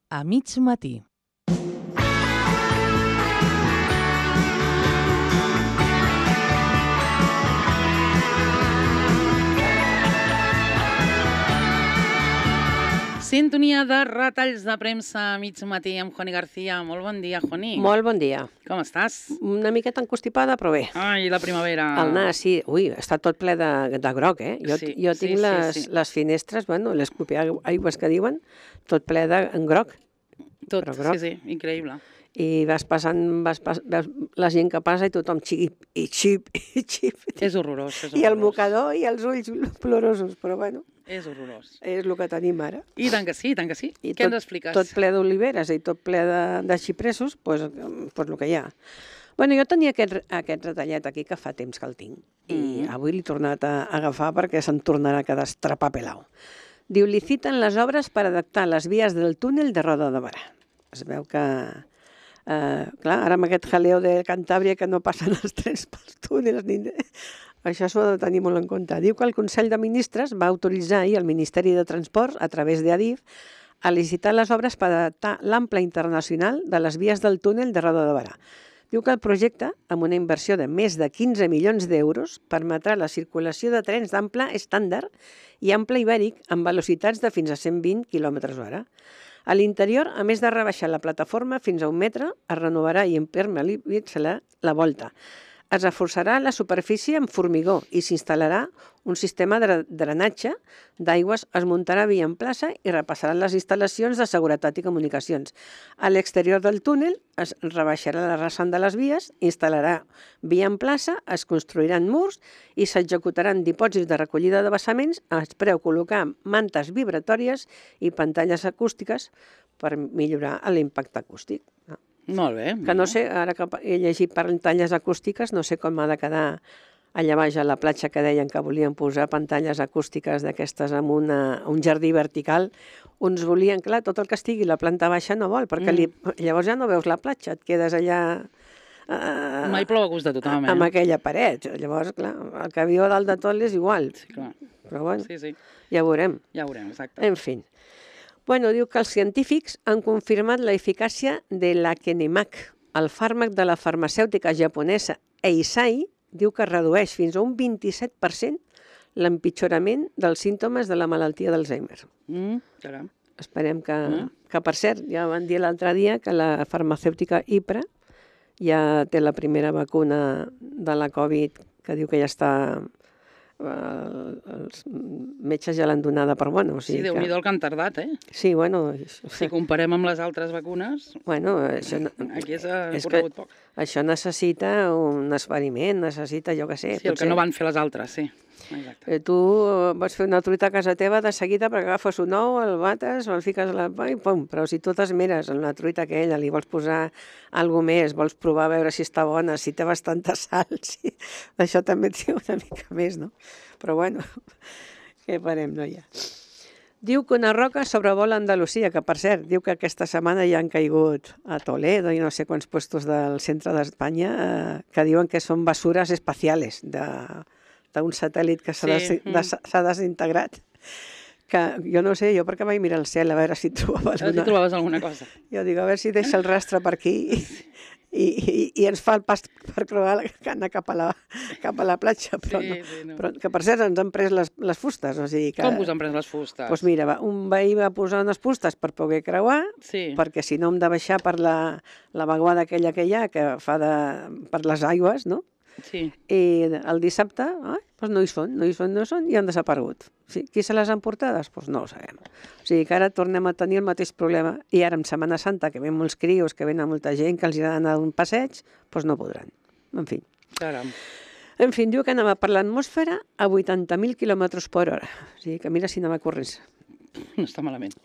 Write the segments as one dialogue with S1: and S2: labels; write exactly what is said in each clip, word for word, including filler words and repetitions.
S1: a mig matí. Sintonia de retalls de premsa a mig matí amb Joni García. Molt bon dia, Joni.
S2: Molt bon dia.
S1: Com estàs?
S2: Una miqueta encostipada, però bé.
S1: Ai, la primavera.
S2: El nas, sí. Ui, està tot ple de, de groc, eh? Jo,
S1: Sí,
S2: jo
S1: sí,
S2: tinc
S1: sí,
S2: les,
S1: sí.
S2: les finestres, bueno, les copiaigües que diuen, tot ple de en groc.
S1: Tot,
S2: però groc.
S1: sí, sí, increïble.
S2: I vas passant, vas pas, veus la gent que passa i tothom xip, i xip, i xip.
S1: És horrorós, és horrorós.
S2: I el mocador i els ulls plorosos, però bueno,
S1: És horrorós.
S2: és el que tenim ara.
S1: I tant que sí, tant que sí.
S2: I
S1: Què
S2: tot,
S1: ens expliques?
S2: Tot ple d'oliveres i tot ple de, de xipresos, doncs pues, el que hi ha. Bueno, jo tenia aquest, aquest retallet aquí que fa temps que el tinc i
S1: Mm.
S2: avui l'he tornat a agafar perquè se'n tornarà a quedar estrapapelau. Diu, liciten les obres per adaptar les vies del túnel de Roda de Barà. Es veu que, eh, clar, ara amb aquest jaleo de Cantàbria que no passen els trens pels túnels, ni... això s'ho ha de tenir molt en compte. Diu que el Consell de Ministres va autoritzar ahir el Ministeri de Transports, a través d'Adif, a licitar les obres per adaptar l'ample internacional de les vies del túnel de Roda de Barà. Diu que el projecte, amb una inversió de més de quinze milions d'euros, permetrà la circulació de trens d'ample estàndard i ample ibèric amb velocitats de fins a cent vint quilòmetres hora. A l'interior, a més de rebaixar la plataforma fins a un metre, es renovarà i impermeabilitzarà la volta. Es reforçarà la superfície amb formigó i s'instal·larà un sistema de drenatge d'aigües, es muntarà via en plaça i repassaran les instal·lacions de seguretat i comunicacions. A l'exterior del túnel es rebaixarà la rasant de les vies, instal·larà via en plaça, es construiran murs i s'executaran dipòsits de recollida de vessaments. Es preveu col·locar mantes vibratòries i pantalles acústiques per millorar l'impacte acústic.
S1: Molt bé.
S2: Que no sé, ara que he llegit pantalles acústiques, no sé com ha de quedar allà baix a la platja que deien que volien posar pantalles acústiques d'aquestes amb una, un jardí vertical. Uns volien, clar, tot el que estigui la planta baixa no vol, perquè li, llavors ja no veus la platja, et quedes allà...
S1: Uh, Mai plou a gust de tothom, eh?
S2: Amb aquella paret. Llavors, clar, el que viu a dalt de tot és igual.
S1: Sí, clar.
S2: Però bueno,
S1: sí, sí.
S2: ja ho veurem.
S1: Ja ho veurem, exacte.
S2: En fi. Bueno, diu que els científics han confirmat la eficàcia de l'Akenemag. El fàrmac de la farmacèutica japonesa Eisai diu que redueix fins a un vint-i-set per cent l'empitjorament dels símptomes de la malaltia d'Alzheimer.
S1: Mm, caram.
S2: Esperem que,
S1: Mm.
S2: que, per cert, ja van dir l'altre dia que la farmacèutica Ipra ja té la primera vacuna de la Covid, que diu que ja està... els metges ja l'han donada per bona. O sigui
S1: Sí, Déu-n'hi-do el que han tardat, eh?
S2: Sí, bueno...
S1: Si comparem amb les altres vacunes,
S2: bueno, això...
S1: aquí s'ha
S2: és
S1: corregut poc.
S2: Això necessita un experiment, necessita, jo què sé...
S1: Sí, el que no van fer les altres, sí. Exacte.
S2: Eh, tu vols fer una truita a casa teva de seguida perquè agafes un ou, el bates, el fiques a la... i pum, però si tu t'esmeres en la truita aquella, li vols posar alguna més, vols provar a veure si està bona, si té bastanta sal, si... això també et diu una mica més, no? Però bueno, què farem, noia? Diu que una roca sobrevola Andalusia, que per cert, diu que aquesta setmana ja han caigut a Toledo i no sé quants puestos del centre d'Espanya eh, que diuen que són basures espaciales de... d'un satèl·lit que s'ha
S1: Sí,
S2: des, des, s'ha desintegrat. Que jo no sé, jo perquè vaig mirar el cel a veure si trobava
S1: A veure si
S2: alguna...
S1: trobaves alguna cosa.
S2: Jo dic, a veure si deixa el rastre per aquí i, i, i, i ens fa el pas per creuar la, anar cap a la, cap a la platja. Però,
S1: Sí,
S2: no.
S1: sí, no.
S2: Però que per cert ens han pres les, les fustes. O sigui que,
S1: Com us han pres les fustes?
S2: Doncs mira, va, un veí va posar unes fustes per poder creuar,
S1: Sí.
S2: perquè si no hem de baixar per la, la vaguada aquella que hi ha, que fa de, per les aigües, no?
S1: Sí.
S2: I el dissabte, eh, doncs no hi són, no hi són, no hi són, i han desaparegut. Sí, qui se les han portades? Doncs no ho sabem. O sigui que ara tornem a tenir el mateix problema. I ara en Setmana Santa, que ven molts crios, que venen molta gent, que els ha d'anar un passeig, doncs no podran. En fi.
S1: Caram.
S2: En fi, diu que anava per l'atmosfera a vuitanta mil quilòmetres per hora. O sigui que mira si anava corrents.
S1: No està malament.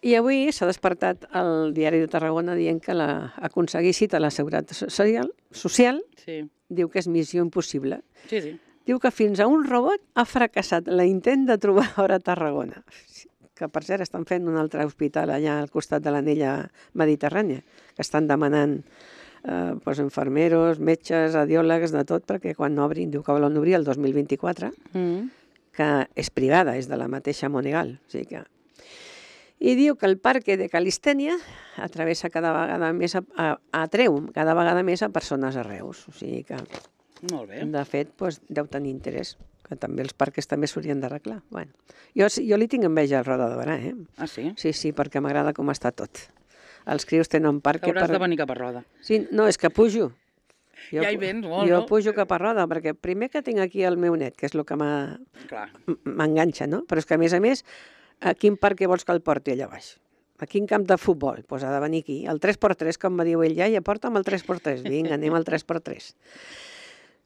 S2: I avui s'ha despertat el Diari de Tarragona dient que la, aconseguir cita a la Seguretat Social, social
S1: Sí.
S2: diu que és missió impossible.
S1: Sí, sí.
S2: Diu que fins a un robot ha fracassat l'intent de trobar hora a Tarragona. Que, per cert, estan fent un altre hospital allà al costat de l'anella mediterrània, que estan demanant eh, doncs, infermeros, metges, radiòlegs, de tot, perquè quan obrin, diu que volen obrir el dos mil vint-i-quatre,
S1: Mm.
S2: que és privada, és de la mateixa Monegal. O sigui que... I diu que el parc de Calistènia atravessa cada vegada més, a, a, atreu cada vegada més a persones a Reus. O sigui que,
S1: Molt bé.
S2: de fet, doncs, deu tenir interès, que també els parcs també s'haurien d'arreglar. Bueno, jo, jo li tinc enveja al Roda de Barà, eh?
S1: Ah, sí?
S2: Sí, sí, perquè m'agrada com està tot. Els crios tenen parc...
S1: Hauràs
S2: per...
S1: de venir cap a Roda.
S2: Sí, no, és que pujo. Jo,
S1: Ja hi vens, molt,
S2: jo
S1: no?
S2: pujo cap a Roda, perquè primer que tinc aquí el meu net, que és el que m'ha-
S1: Clar.
S2: m'enganxa, no? Però és que, a més a més, a quin parc vols que el porti allà baix? A quin camp de futbol? Doncs pues ha de venir aquí. El tres per tres, com va dir ell, ja, ja porta'm el tres per tres. Vinga, anem al tres per tres.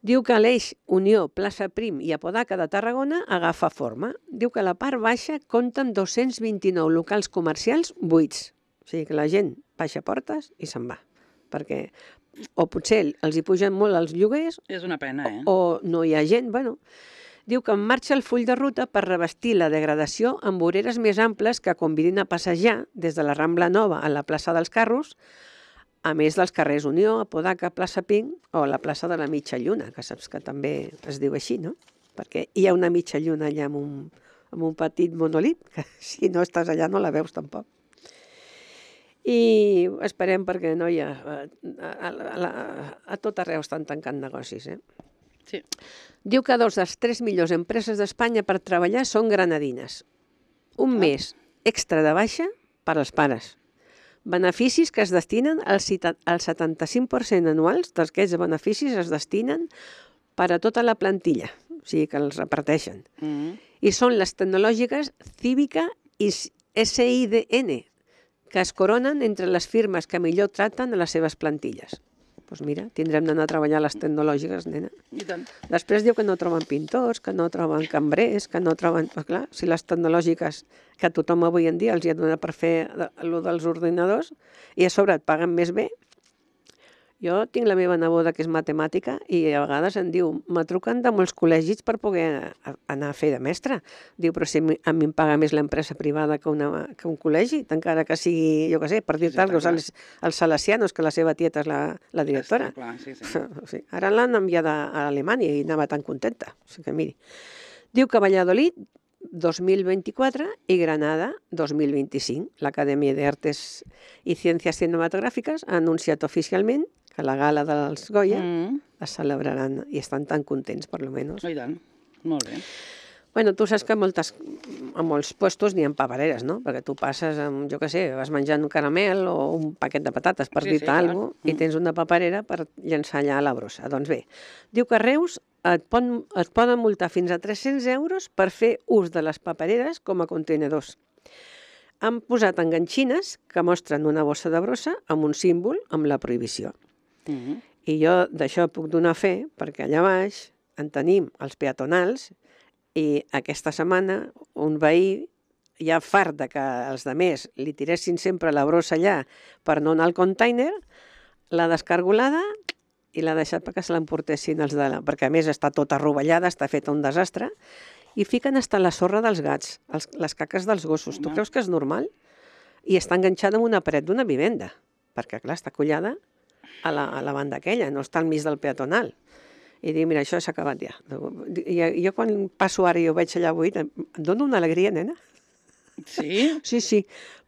S2: Diu que l'eix Unió, Plaça Prim i Apodaca de Tarragona agafa forma. Diu que a la part baixa compten dos-cents vint-i-nou locals comercials buits. O sigui que la gent baixa portes i se'n va. Perquè o potser els hi pugen molt els lloguers
S1: És una pena, eh?
S2: o no hi ha gent, bueno. Diu que en marxa el full de ruta per revestir la degradació amb voreres més amples que convidin a passejar des de la Rambla Nova a la plaça dels Carros, a més dels carrers Unió, Apodaca, plaça Pink o la plaça de la Mitja Lluna, que saps que també es diu així, no? Perquè hi ha una mitja lluna allà amb un, amb un petit monolit, que si no estàs allà no la veus tampoc. I esperem perquè no hi ha... A, a, a, a tot arreu estan tancant negocis, eh?
S1: Sí.
S2: Diu que dos de les tres millors empreses d'Espanya per treballar són granadines. Un mes extra de baixa per als pares. Beneficis que es destinen al setanta-cinc per cent anuals d'aquests beneficis es destinen per a tota la plantilla, o sigui que els reparteixen.
S1: Mm.
S2: I són les tecnològiques Cívica i S I D N, que es coronen entre les firmes que millor traten a les seves plantilles. Doncs pues mira, tindrem d'anar a treballar a les tecnològiques, nena.
S1: I tant.
S2: Després diu que no troben pintors, que no troben cambrers, que no troben... Pues clar, si les tecnològiques que tothom avui en dia els hi ha donat per fer allò dels ordinadors i a sobre et paguen més bé. Jo tinc la meva neboda que és matemàtica i a vegades em diu, me truquen de molts col·legis per poder anar a fer de mestra. Diu, però si a mi em paga més l'empresa privada que, una, que un col·legi, encara que sigui, jo què sé, per dir-te alguna cosa, els, els salesianos, que la seva tieta és la, la directora.
S1: Està clar, sí, sí.
S2: Sí. Ara l'han enviada a Alemanya i anava tan contenta. O sigui que miri. Diu que Valladolid dos mil vint-i-quatre i Granada dos mil vint-i-cinc. L'Acadèmia d'Artes i Ciències Cinematogràfiques ha anunciat oficialment que la gala dels Goya
S1: Mm.
S2: es celebraran i estan tan contents, per lo menos.
S1: Oh, I tant. Molt bé.
S2: Bueno, tu saps que a, moltes, a molts puestos n'hi ha papereres, no? Perquè tu passes amb, jo què sé, vas menjant un caramel o un paquet de patates, per
S1: Sí,
S2: dir-te
S1: sí, clar.
S2: alguna cosa, i
S1: Mm.
S2: tens una paperera per llançar allà a la brossa. Doncs bé, diu que a Reus et, pon, et poden multar fins a tres-cents euros per fer ús de les papereres com a contenedors. Han posat enganxines que mostren una bossa de brossa amb un símbol amb la prohibició.
S1: Mm.
S2: I jo d'això puc donar fe, perquè allà baix en tenim els peatonals i aquesta setmana un veí ja fart de que els demés li tiressin sempre la brossa allà per no anar al container, l'ha descargolada i l'ha deixat perquè se l'emportessin els de la... perquè a més està tota rovellada, està feta un desastre, i fiquen hasta la sorra dels gats, els, les caques dels gossos. Tu
S1: Home.
S2: creus que és normal? I està enganxada amb una paret d'una vivenda, perquè clar, està collada a la, a la banda aquella, no està al mig del peatonal. I dic, mira, això s'ha acabat ja. I jo quan passo ara i ho veig allà buit, em dona una alegria, nena.
S1: Sí?
S2: Sí, sí,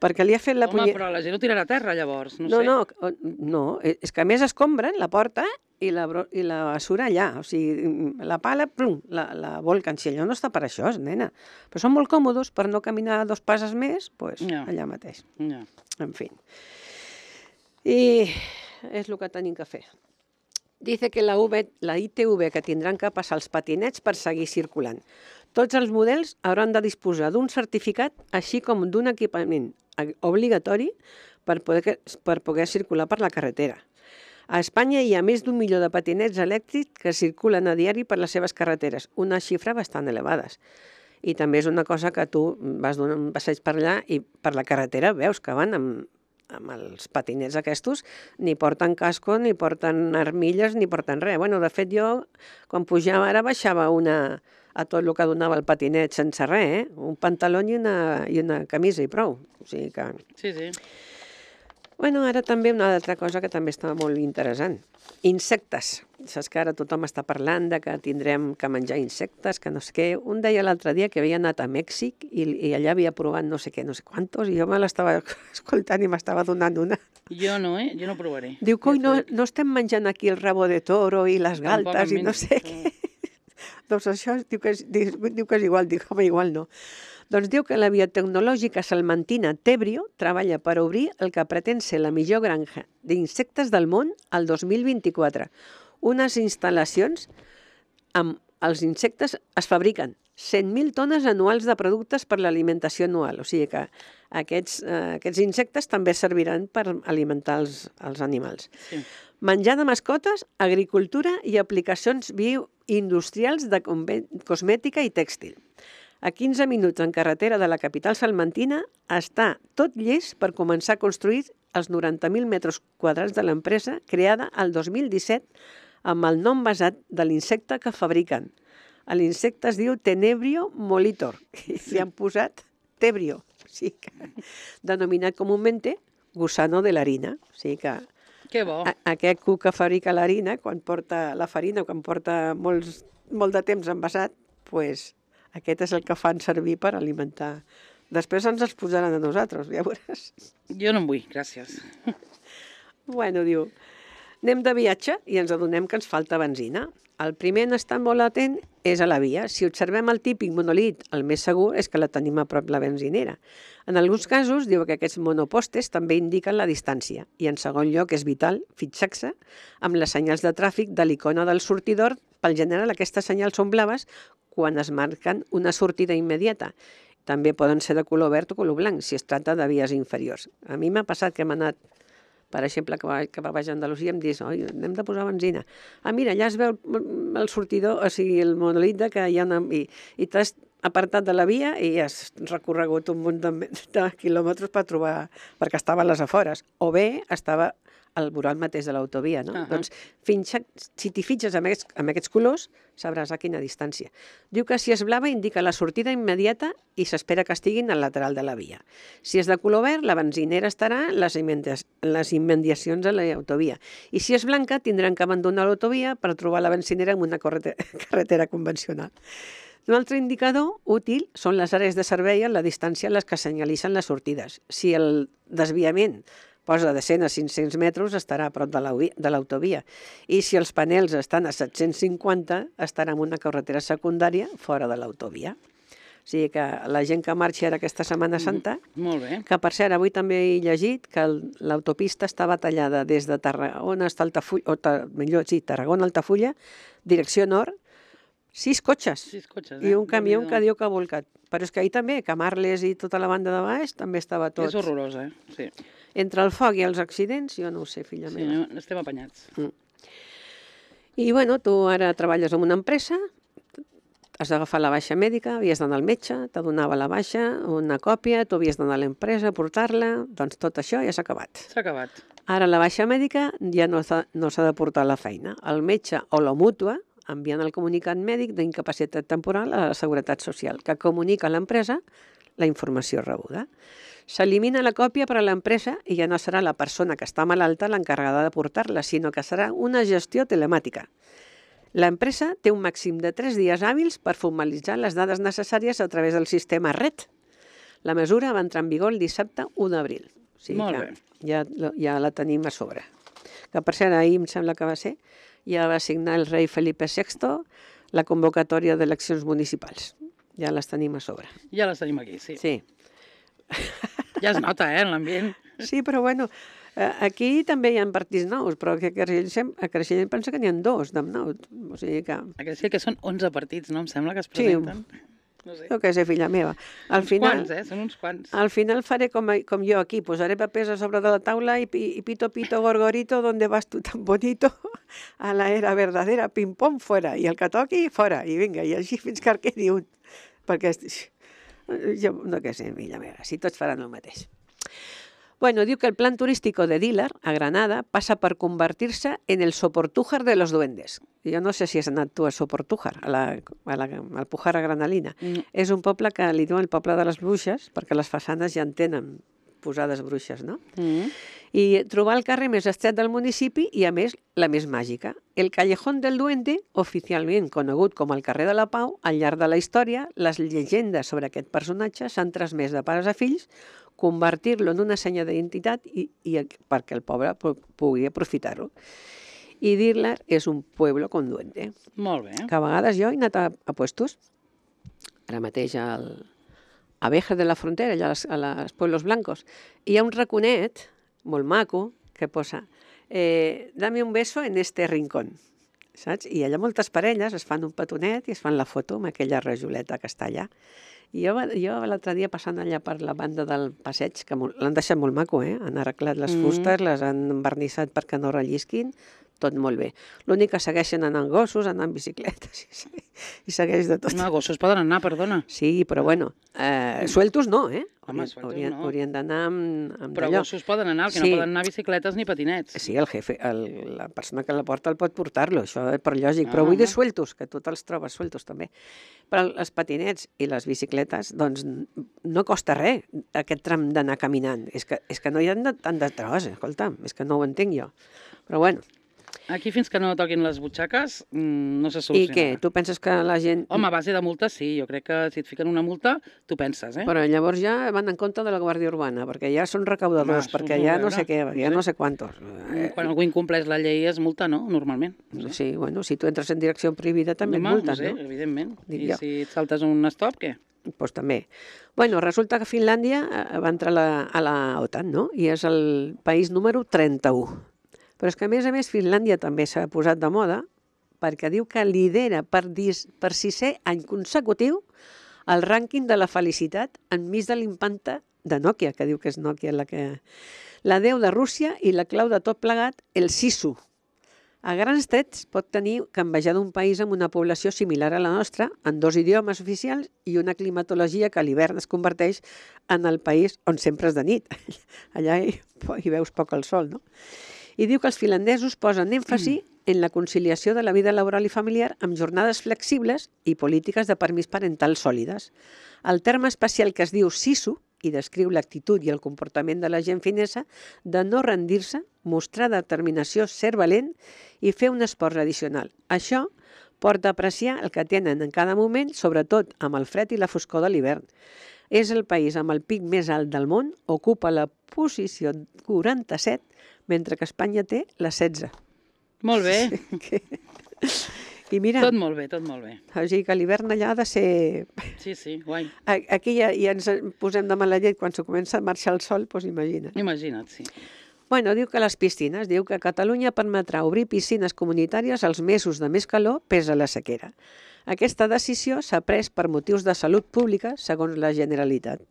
S2: perquè li ha fet la
S1: Home,
S2: punye-
S1: però la gent ho tirarà a terra, llavors. No,
S2: No,
S1: sé.
S2: no, no, és que a més escombren la porta i la, bro- i la basura allà. O sigui, la pala, plum, la, la volquen. Si allò no està per això, nena. Però són molt còmodes per no caminar dos passes més, doncs
S1: Ja.
S2: allà mateix.
S1: Ja.
S2: En fi. I és el que tenim que fer. Dice que la, UV, la I T V que tindran que passar els patinets per seguir circulant. Tots els models hauran de disposar d'un certificat, així com d'un equipament obligatori per poder, per poder circular per la carretera. A Espanya hi ha més d'un milió de patinets elèctrics que circulen a diari per les seves carreteres, una xifra bastant elevades. I també és una cosa que tu vas donar un passeig per allà i per la carretera veus que van amb, amb els patinets aquests, ni porten casco, ni porten armilles, ni porten res. Bueno, de fet, jo, quan pujava ara, baixava una, a tot el que donava el patinet sense res, eh? Un pantaló i una, i una camisa i prou. O sigui que...
S1: Sí, sí.
S2: Bueno, ara també una altra cosa que també està molt interessant. Insectes. Saps que ara tothom està parlant de que tindrem que menjar insectes, que no sé què. Un deia l'altre dia que havia anat a Mèxic i, i allà havia provat no sé què, no sé quantos, i jo me l'estava escoltant i m'estava donant una.
S1: Jo no, eh? Jo no provaré.
S2: Diu, coi, no, no estem menjant aquí el rabo de toro i les galtes i no sé què. Doncs això diu que, és, diu, diu que és igual, dic, home, igual no. Doncs diu que la biotecnològica salmantina Tebrio treballa per obrir el que pretén ser la millor granja d'insectes del món al dos mil vint-i-quatre. Unes instal·lacions amb els insectes es fabriquen cent mil tones anuals de productes per l'alimentació anual. O sigui que aquests, eh, aquests insectes també serviran per alimentar els, els animals.
S1: Sí.
S2: Menjar de mascotes, agricultura i aplicacions bioindustrials de cosmètica i tèxtil. A quinze minuts en carretera de la capital salmantina està tot llest per començar a construir els noranta mil metres quadrats de l'empresa creada el dos mil disset amb el nom basat de l'insecte que fabriquen. L'insecte es diu Tenebrio molitor i li han posat Tebrio, o sigui que, denominat comúment gusano de l'harina. O sigui que
S1: que bo.
S2: A, aquest cuc que fabrica l'harina, quan porta la farina, quan porta molts, molt de temps envasat, pues, aquest és el que fan servir per alimentar. Després ens els posaran a nosaltres, ja veuràs.
S1: Jo no en vull, gràcies.
S2: Bueno, diu, anem de viatge i ens adonem que ens falta benzina. El primer en estar molt atent és a la via. Si observem el típic monolit, el més segur és que la tenim a prop la benzinera. En alguns casos, diu que aquests monopostes també indiquen la distància. I en segon lloc és vital fixar-se amb les senyals de tràfic de l'icona del sortidor. Pel general, aquestes senyals són blaves quan es marquen una sortida immediata. També poden ser de color verd o color blanc, si es tracta de vies inferiors. A mi m'ha passat que hem anat, per exemple, que va, que va baix a Andalusia, em dius, oi, hem de posar benzina. Ah, mira, allà es veu el sortidor, o sigui, el monòlit que hi ha una... I, i t'has apartat de la via i has recorregut un munt de, de quilòmetres per trobar... perquè estava a les afores. O bé estava al voral mateix de l'autovia, no? Uh -huh. Doncs fins, si t'hi fitxes amb aquests, amb aquests colors, sabràs a quina distància. Diu que si és blava indica la sortida immediata i s'espera que estiguin al lateral de la via. Si és de color verd, la benzinera estarà en les, les immediacions de l'autovia. I si és blanca, tindran que abandonar l'autovia per trobar la benzinera en una carretera convencional. Un altre indicador útil són les àrees de servei a la distància a les que senyalitzen les sortides. Si el desviament posa de cent a cinc-cents metres, estarà a prop de l'autovia. I si els panels estan a set-cents cinquanta, estarà en una carretera secundària fora de l'autovia. O sigui que la gent que marxi ara aquesta Setmana Santa,
S1: molt bé.
S2: Que per cert, avui també he llegit que l'autopista estava tallada des de Tarragona a Altafulla, o millor, sí, Tarragona a Altafulla, direcció nord, sis cotxes,
S1: sis cotxes eh?
S2: I un camió que diu que ha volcat. Però és que ahir també, Camarles i tota la banda de baix, també estava tot...
S1: És horrorós, eh? Sí.
S2: Entre el foc i els accidents, jo no ho sé, filla
S1: sí,
S2: meva.
S1: Sí, estem apanyats.
S2: Mm. I, bueno, tu ara treballes en una empresa, has d'agafar la baixa mèdica, havies d'anar al metge, te donava la baixa, una còpia, tu havies d'anar a l'empresa a portar-la, doncs tot això ja s'ha acabat.
S1: S'ha acabat.
S2: Ara la baixa mèdica ja no s'ha no de portar a la feina. El metge o la mútua envien el comunicat mèdic d'incapacitat temporal a la Seguretat Social, que comunica a l'empresa la informació rebuda. S'elimina la còpia per a l'empresa i ja no serà la persona que està malalta l'encarregada de portar-la, sinó que serà una gestió telemàtica. L'empresa té un màxim de tres dies hàbils per formalitzar les dades necessàries a través del sistema R E T. La mesura va entrar en vigor el dissabte u d'abril. O sigui
S1: Molt
S2: que
S1: bé.
S2: ja, ja la tenim a sobre. Que per cert, ahir em sembla que va ser, ja va signar el rei Felipe sexto la convocatòria d'eleccions municipals. Ja les tenim a sobre.
S1: Ja les tenim aquí, sí.
S2: Sí.
S1: Ja es nota, eh, en l'ambient.
S2: Sí, però bueno, aquí també hi ha partits nous, però a Creixell, a Creixell em pensa que n'hi ha dos de nous. O sigui que...
S1: A Creixell que són onze partits, no? Em sembla que es presenten. Sí. No sé.
S2: Jo què sé, filla meva. Al
S1: uns
S2: final,
S1: quants, eh? Són uns quants.
S2: Al final faré com, com jo aquí, posaré papers a sobre de la taula i, i pito, pito, gorgorito, ¿dónde vas tú tan bonito? A la era verdadera, pim-pom, fora. I el que toqui, fora. I vinga, i així fins que en quedi un. Perquè jo no què sé, filla meva, si tots faran el mateix. Bueno, diu que el plan turístico de Dílar, a Granada, passa per convertir-se en el Soportújar de los duendes. Jo no sé si has anat tu a Soportújar, a la, a la Alpujarra Granalina. Mm. És un poble que li diuen el poble de les bruixes, perquè les façanes ja en tenen posades bruixes, no? Mm. I trobar el carrer més estret del municipi i, a més, la més màgica. El Callejón del Duende, oficialment conegut com el carrer de la Pau, al llarg de la història, les llegendes sobre aquest personatge s'han transmès de pares a fills, convertir-lo en una senya d'identitat i, i perquè el poble pugui aprofitar-ho. I dir-la és un pueblo con duende.
S1: Molt bé.
S2: Que a vegades jo he anat a, a puestos, ara mateix al, a Veja de la Frontera, allà a les, a les Pueblos Blancos, i hi ha un raconet molt maco que posa eh, dame un beso en este rincón, saps? I allà moltes parelles es fan un petonet i es fan la foto amb aquella rajoleta que està allà. I jo, jo l'altre dia passant allà per la banda del passeig, que l'han deixat molt maco, eh? Han arreglat les fustes, mm. les han envernissat perquè no rellisquin, tot molt bé. L'únic que segueixen anant gossos, anant bicicletes, i, i segueix de tot.
S1: No, gossos poden anar, perdona.
S2: Sí, però bueno, eh, sueltos no, eh?
S1: Home, sueltos
S2: haurien,
S1: no.
S2: Haurien d'anar amb, amb
S1: Però
S2: d'allò.
S1: gossos poden anar, el que
S2: Sí.
S1: no poden anar bicicletes ni patinets.
S2: Sí, el jefe, el, la persona que la porta el pot portar-lo, això és per lògic, però
S1: Ah,
S2: vull dir
S1: home.
S2: sueltos, que tu te'ls trobes sueltos també. Però els patinets i les bicicletes, doncs no costa res aquest tram d'anar caminant. És que, és que no hi ha de, tant de tros, escolta, és que no ho entenc jo. Però bueno.
S1: Aquí fins que no toquin les butxaques mmm, no se
S2: I
S1: solucionarà.
S2: què? Tu penses que la gent...
S1: Home, a base de multa sí, jo crec que si et fiquen una multa, tu penses, eh?
S2: Però llavors ja van en compte de la Guàrdia Urbana, perquè ja són recaudadors,
S1: Home,
S2: perquè
S1: suposo,
S2: ja
S1: a
S2: no
S1: veure,
S2: sé què, perquè ja
S1: no
S2: no
S1: sé.
S2: sé quantos.
S1: Quan algú incompleix la llei és multa, no? Normalment. No sé.
S2: Sí, bueno, si tu entres en direcció prohibida també et
S1: Home,
S2: multen,
S1: no sé,
S2: no?
S1: evidentment.
S2: Dic
S1: I
S2: jo.
S1: si et saltes un stop, què?
S2: Pues també. Bueno, resulta que Finlàndia eh, va entrar a la, a la OTAN, no? I és el país número trenta-u. Però és que, a més a més, Finlàndia també s'ha posat de moda perquè diu que lidera per, dis, per sisè any consecutiu el rànquing de la felicitat enmig de l'impanta de Nokia, que diu que és Nokia la que... La déu de Rússia i la clau de tot plegat, el Sisu. A grans trets pot tenir que envejar d'un país amb una població similar a la nostra, en dos idiomes oficials i una climatologia que a l'hivern es converteix en el país on sempre és de nit. Allà hi, hi veus poc el sol, no? I diu que els finlandesos posen èmfasi en la conciliació de la vida laboral i familiar amb jornades flexibles i polítiques de permís parental sòlides. El terme especial que es diu sisu i descriu l'actitud i el comportament de la gent finesa de no rendir-se, mostrar determinació, ser valent i fer un esforç addicional. Això porta a apreciar el que tenen en cada moment, sobretot amb el fred i la foscor de l'hivern. És el país amb el pic més alt del món, ocupa la posició quaranta-set, mentre que Espanya té la setze.
S1: Molt bé.
S2: I mira,
S1: Tot molt bé, tot molt bé.
S2: o sigui que l'hivern allà ha de ser...
S1: Sí, sí, guai.
S2: Aquí ja, ja ens posem de mala llet quan se comença a marxar el sol, doncs imagina't.
S1: Imagina't, sí.
S2: Bueno, diu que les piscines, diu que Catalunya permetrà obrir piscines comunitàries als mesos de més calor pesa la sequera. Aquesta decisió s'ha pres per motius de salut pública, segons la Generalitat.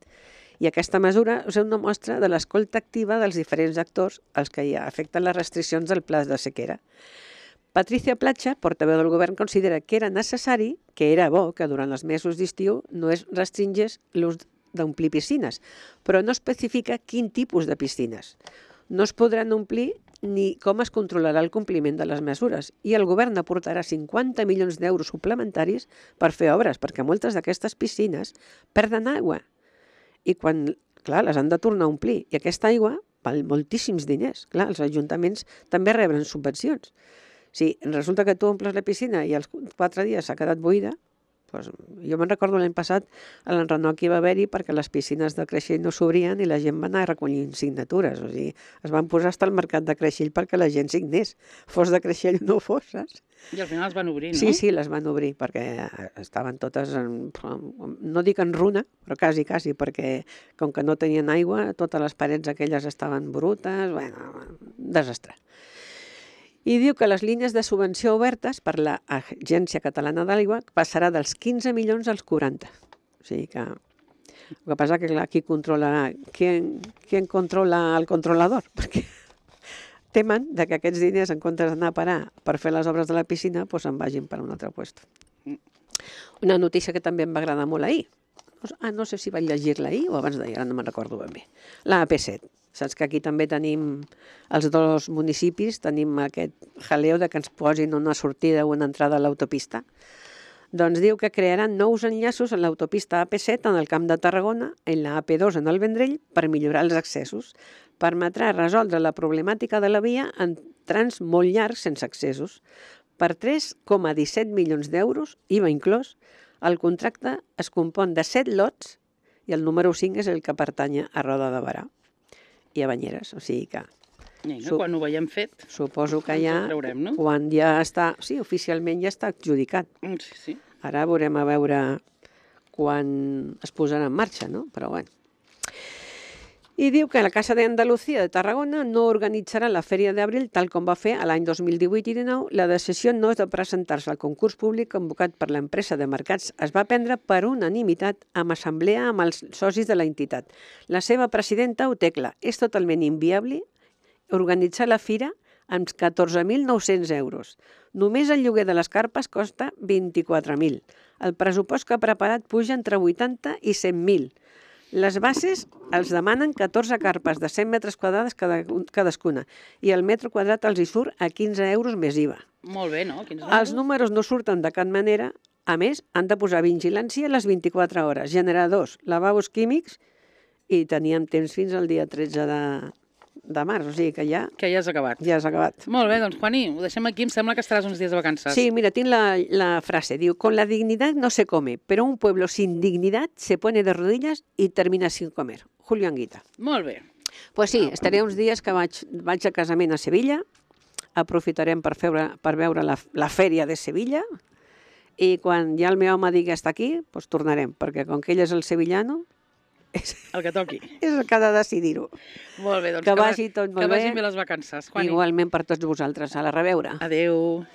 S2: I aquesta mesura és una mostra de l'escolta activa dels diferents actors als que hi afecten les restriccions del pla de sequera. Patricia Platja, portaveu del govern, considera que era necessari, que era bo, que durant els mesos d'estiu no es restringés l'ús d'omplir piscines, però no especifica quin tipus de piscines. No es podran omplir ni com es controlarà el compliment de les mesures i el govern aportarà cinquanta milions d'euros suplementaris per fer obres, perquè moltes d'aquestes piscines perden aigua. I quan, clar, les han de tornar a omplir. I aquesta aigua val moltíssims diners. Clar, els ajuntaments també reben subvencions. Si resulta que tu omples la piscina i als quatre dies s'ha quedat buida, doncs jo me'n recordo l'any passat a l'enrenor que hi va haver-hi perquè les piscines de Creixell no s'obrien i la gent va anar recollint signatures. O sigui, es van posar fins al mercat de Creixell perquè la gent signés. Fos de Creixell o no fos, saps?
S1: I al final es van obrir, no?
S2: Sí, sí, les van obrir perquè estaven totes, en, no dic en runa, però quasi, quasi, perquè com que no tenien aigua, totes les parets aquelles estaven brutes, bueno, desastre. I diu que les línies de subvenció obertes per l'Agència Catalana de l'Aigua passarà dels quinze milions als quaranta. O sigui que el que passa que clar, qui controlarà, qui, qui controla el controlador? Perquè temen de que aquests diners, en comptes d'anar a parar per fer les obres de la piscina, doncs se'n vagin per un altre lloc. Una notícia que també em va agradar molt ahir. Ah, no sé si vaig llegir-la ahir o abans d'ahir, ara no me'n recordo ben bé. La A P set. Saps que aquí també tenim, els dos municipis, tenim aquest jaleo de que ens posin una sortida o una entrada a l'autopista. Doncs diu que crearan nous enllaços en l'autopista A P set en el Camp de Tarragona, en la A P dos en el Vendrell, per millorar els accessos. Permetrà resoldre la problemàtica de la via en trams molt llargs sense accessos. Per tres coma disset milions d'euros, I V A inclòs, el contracte es compon de set lots i el número cinc és el que pertany a Roda de Berà i a Banyeres. O sigui que
S1: Vinga, quan ho veiem fet,
S2: suposo que
S1: ens
S2: ja,
S1: ho creurem, no?
S2: quan ja està, sí, oficialment ja està adjudicat.
S1: Mm, Sí, sí.
S2: Ara veurem a veure quan es posarà en marxa, no? Però bueno. I diu que la Casa de Andalucía de Tarragona no organitzarà la Fèria d'Abril tal com va fer a l'any dos mil divuit i dinou. La decisió no és de presentar-se al concurs públic convocat per l'empresa de mercats. Es va prendre per unanimitat amb assemblea amb els socis de la entitat. La seva presidenta ho té clar. És totalment inviable organitzar la fira amb catorze mil nou-cents euros. Només el lloguer de les carpes costa vint-i-quatre mil. El pressupost que ha preparat puja entre vuitanta i cent mil. Les bases els demanen catorze carpes de cent metres quadrats cada, cadascuna i el metre quadrat els hi surt a quinze euros més I V A.
S1: Molt bé, no? quinze
S2: Els
S1: euros.
S2: números no surten de cap manera. A més, han de posar vigilància a les vint-i-quatre hores, generadors, lavabos químics i teníem temps fins al dia tretze de, de març, o sigui que ja,
S1: Que ja has acabat.
S2: ja has acabat.
S1: Molt bé, doncs, Juani, ho deixem aquí. Em sembla que estaràs uns dies de vacances.
S2: Sí, mira, tinc la, la frase, diu, con la dignidad no se come, pero un pueblo sin dignidad se pone de rodillas y termina sin comer. Julio Anguita.
S1: Molt bé.
S2: Pues sí, estaré uns dies que vaig, vaig a casament a Sevilla, aprofitarem per, feure, per veure la, la fèria de Sevilla i quan ja el meu home digui està aquí, doncs tornarem, perquè com que ell és el sevillano, és,
S1: El que toqui.
S2: és el que ha de decidir-ho.
S1: Molt bé, doncs
S2: Que
S1: va-
S2: vagi tot molt
S1: que
S2: bé.
S1: vagin bé les vacances, Juani.
S2: Igualment per tots vosaltres. A la reveure.
S1: Adéu.